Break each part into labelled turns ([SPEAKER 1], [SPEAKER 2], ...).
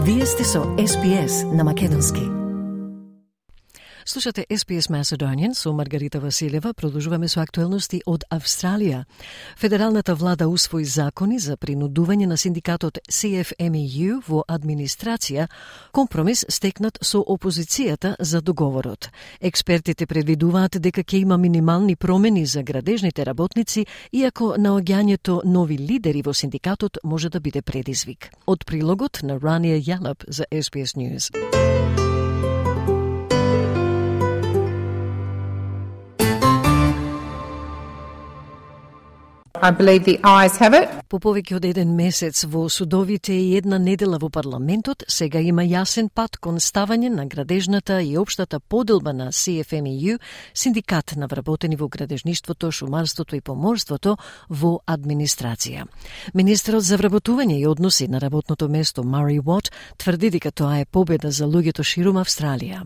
[SPEAKER 1] Вие сте со SPS на македонски. Слушате SPS Macedonian со Маргарита Василева. Продолжуваме со актуелности од Австралија. Федералната влада усвои закони за принудување на синдикатот CFMEU во администрација, компромис стекнат со опозицијата за договорот. Експертите предвидуваат дека ќе има минимални промени за градежните работници, иако наоѓањето нови лидери во синдикатот може да биде предизвик. Од прилогот на Rania Yallop за SPS News.
[SPEAKER 2] I believe the ayes have it.
[SPEAKER 1] По повеќе од еден месец во судовите и една недела во парламентот, сега има јасен пат кон ставање на градежната и општата поделба на CFMEU, синдикат на вработени во градежништвото, шумарството и поморството, во администрација. Министерот за вработување и односи на работното место Мари Уот тврди дека тоа е победа за луѓето ширум Австралија.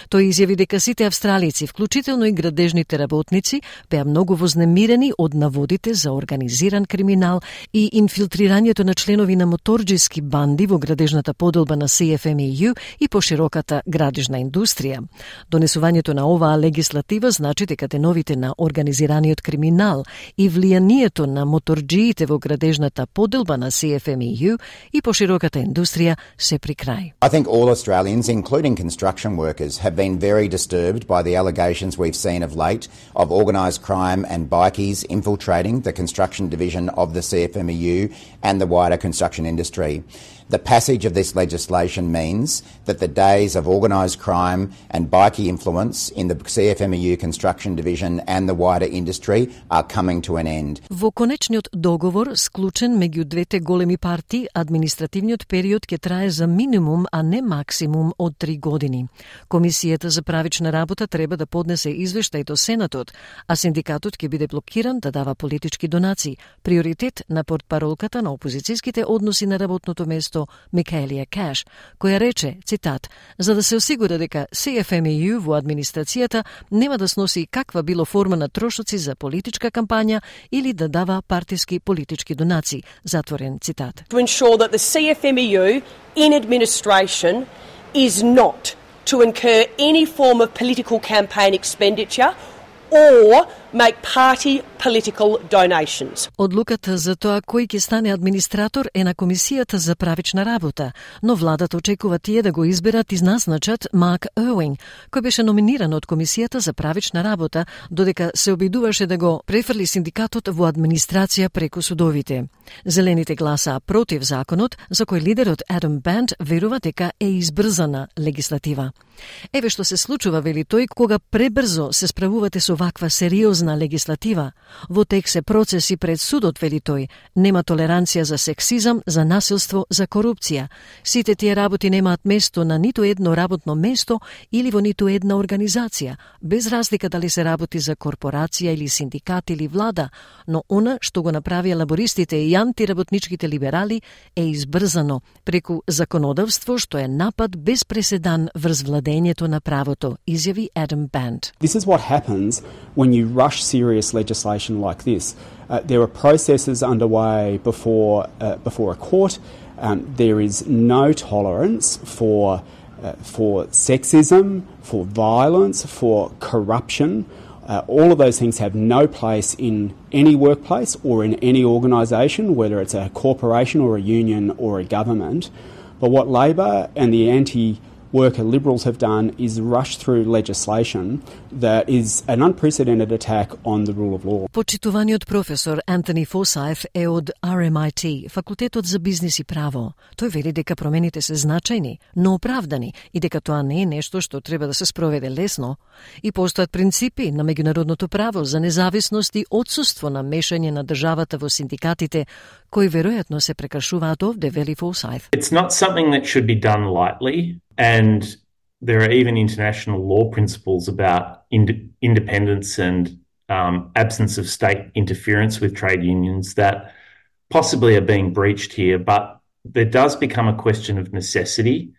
[SPEAKER 1] Тој изјави дека сите австралици, вклучително и градежните работници, беа многу вознемирени од наводите за организиран криминал и инфилтрирањето на членови на моторџиски банди во градежната поделба на CFMEU и пошироката градежна индустрија. Донесувањето на оваа легислатива значи дека деновите на организираниот криминал и влијанието на моторџиите во градежната поделба на CFMEU и пошироката индустрија се при крај.
[SPEAKER 3] I think all Australians, including construction workers, have been very disturbed by the allegations we've seen of late of organised crime and bikies infiltrating the construction division of the CFMEU and the wider construction industry. The passage of this legislation means that the days of organised crime and bikie influence in the CFMEU construction division and the wider industry are coming to an end.
[SPEAKER 1] Во конечниот договор, склучен меѓу двете големи партии, административниот период ќе трае за минимум, а не максимум од 3 години. Комисијата за правична работа треба да поднесе извештај до Сенатот, а синдикатот ќе биде блокиран да дава политички донации, приоритет на портпаролката на опозицијските односи на работното место Микаелија Каш, која рече, цитат, за да се осигура дека CFMEU во администрацијата нема да сноси каква било форма на трошоци за политичка кампања или да дава партиски политички донации, затворен цитат.
[SPEAKER 4] To ensure that the CFMEU in administration is not to incur any form of political campaign expenditure or make party political donations.
[SPEAKER 1] Одлуката за тоа кој ќе стане администратор е на Комисијата за правична работа, но владата очекува тие да го изберат и назначат Марк Ирвинг, кој беше номиниран од Комисијата за правична работа, додека се обидуваше да го префрли синдикатот во администрација преку судовите. Зелените гласаа против законот, за кој лидерот Адам Банд верува дека е избрзана легислатива. Еве што се случува, вели тој, кога пребрзо се справувате со ваква сериозна легислатива. Во тек се процеси пред судот, вели тој. Нема толеранција за сексизам, за насилство, за корупција. Сите тие работи немаат место на ниту едно работно место или во ниту една организација, без разлика дали се работи за корпорација или синдикат или влада, но она што го направија лабористите и антиработничките либерали е избрзано преку законодавство што е напад без преседан врз владењето на правото, изјави Адам Банд.
[SPEAKER 5] This is what happens when you rush serious legislation like this. There are processes underway before a court. There is no tolerance for sexism, for violence, for corruption. All of those things have no place in any workplace or in any organisation, whether it's a corporation or a union or a government. But what Labor and the anti-worker Liberals have done is rush through legislation that is an unprecedented attack on the rule of law.
[SPEAKER 1] Почитуваниот професор Антони Форсайт е од RMIT, факултетот за бизнис и право. Тој вели дека промените се значајни, но оправдани и дека тоа не е нешто што треба да се спроведе лесно. И постојат принципи на меѓународното право за независност и отсуство на мешање на државата во синдикатите, кои веројатно се прекршуваат овде, вели Форсайт.
[SPEAKER 6] It's not something that should be done lightly, and there are even international law principles about independence and absence of state interference with trade unions that possibly are being breached here, but there does become a question of necessity,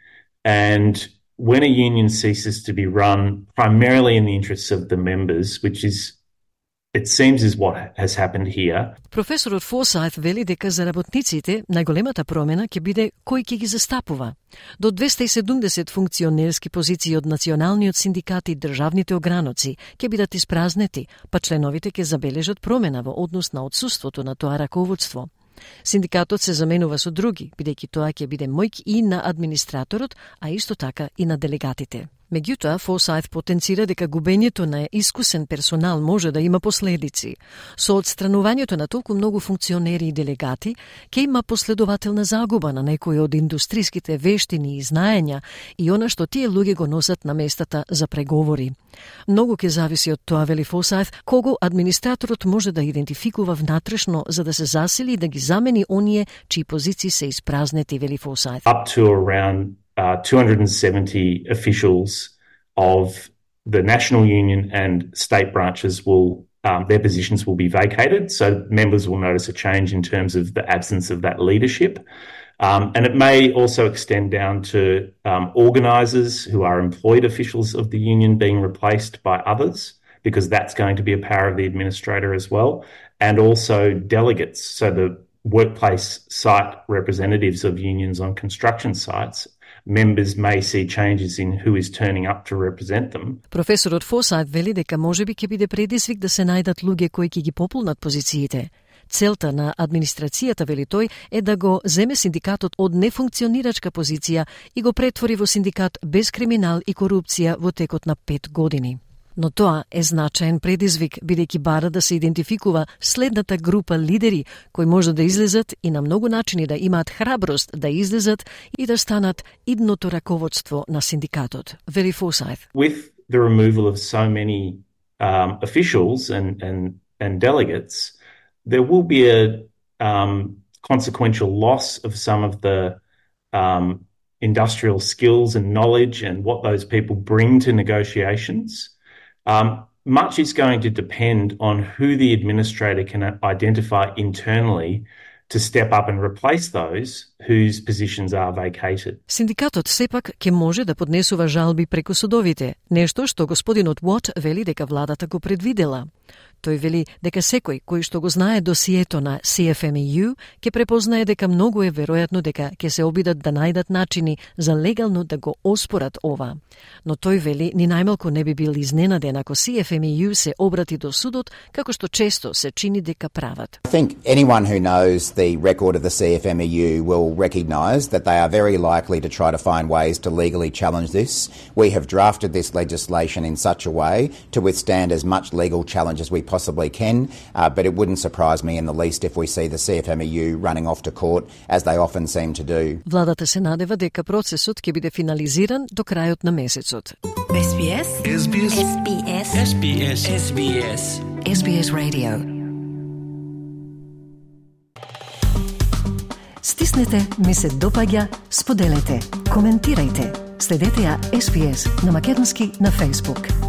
[SPEAKER 6] and when a union ceases to be run primarily in the interests of the members, which is it seems is what has happened here.
[SPEAKER 1] Професорот Форсайт вели дека за работниците најголемата промена ќе биде кој ќе ги застапува. До 270 функционерски позиции од националниот синдикат и државните ограноци ќе бидат испразнети, па членовите ќе забележат промена во однос на отсуството на тоа раководство. Синдикатот се заменува со други, бидејќи тоа ќе биде моќ и на администраторот, а исто така и на делегатите. Меѓутоа, Форсайт потенцира дека губењето на искусен персонал може да има последици. Со отстранувањето на толку многу функционери и делегати, ќе има последователна загуба на некои од индустриските вештини и знаења и она што тие луѓе го носат на местата за преговори. Многу ќе зависи од тоа, вели Форсайт, кого администраторот може да идентификува внатрешно за да се засили и да ги замени оние чии позиции се испразнети, вели Форсайт.
[SPEAKER 6] Up to around 270 officials of the national union and state branches will their positions will be vacated, so members will notice a change in terms of the absence of that leadership. And it may also extend down to organisers who are employed officials of the union being replaced by others, because that's going to be a power of the administrator as well, and also delegates, so the workplace site representatives of unions on construction sites. Members may see changes in who is turning up to represent them.
[SPEAKER 1] Професорот Форсайт вели дека можеби ќе биде предизвик да се најдат луѓе кои ќе ги пополнат позициите. Целта на администрацијата, вели тој, е да го земе синдикатот од нефункционирачка позиција и го претвори во синдикат без криминал и корупција во текот на 5 години. Но тоа е значаен предизвик, бидејќи бара да се идентификува следната група лидери кои може да излезат и на многу начини да имаат храброст да излезат и да станат идното раководство на синдикатот. Вели Форсайт.
[SPEAKER 6] With the removal of so many officials and delegates, there will be a consequential loss of some of the industrial skills and knowledge and what those people bring to negotiations. Much is going to depend on who the administrator can identify internally to step up and replace those whose positions are vacated.
[SPEAKER 1] Синдикатот сепак ќе може да поднесува жалби преку судовите, нешто што господинот Уот вели дека владата го предвидела. Тој вели дека секој кој што го знае досието на CFMEU ќе препознае дека многу е веројатно дека ќе се обидат да најдат начини за легално да го оспорат ова. Но тој вели ни најмалку не би бил изненаден ако CFMEU се обрати до судот, како што често се чини дека прават.
[SPEAKER 3] I think anyone who knows the record of the CFMEU will recognise that they are very likely to try to find ways to legally challenge this. We have drafted this legislation in such a way to withstand as much legal challenge as we possibly can, but it wouldn't surprise me in the least if we see the CFMEU running off to court, as they often seem to do.
[SPEAKER 1] Владата се надева дека процесот ќе биде финализиран до крајот на месецот.
[SPEAKER 7] SBS SBS SBS SBS SBS
[SPEAKER 1] SBS Radio. Стиснете, ми се допаѓа, споделете, коментирајте. Следете ја SBS на македонски на Facebook.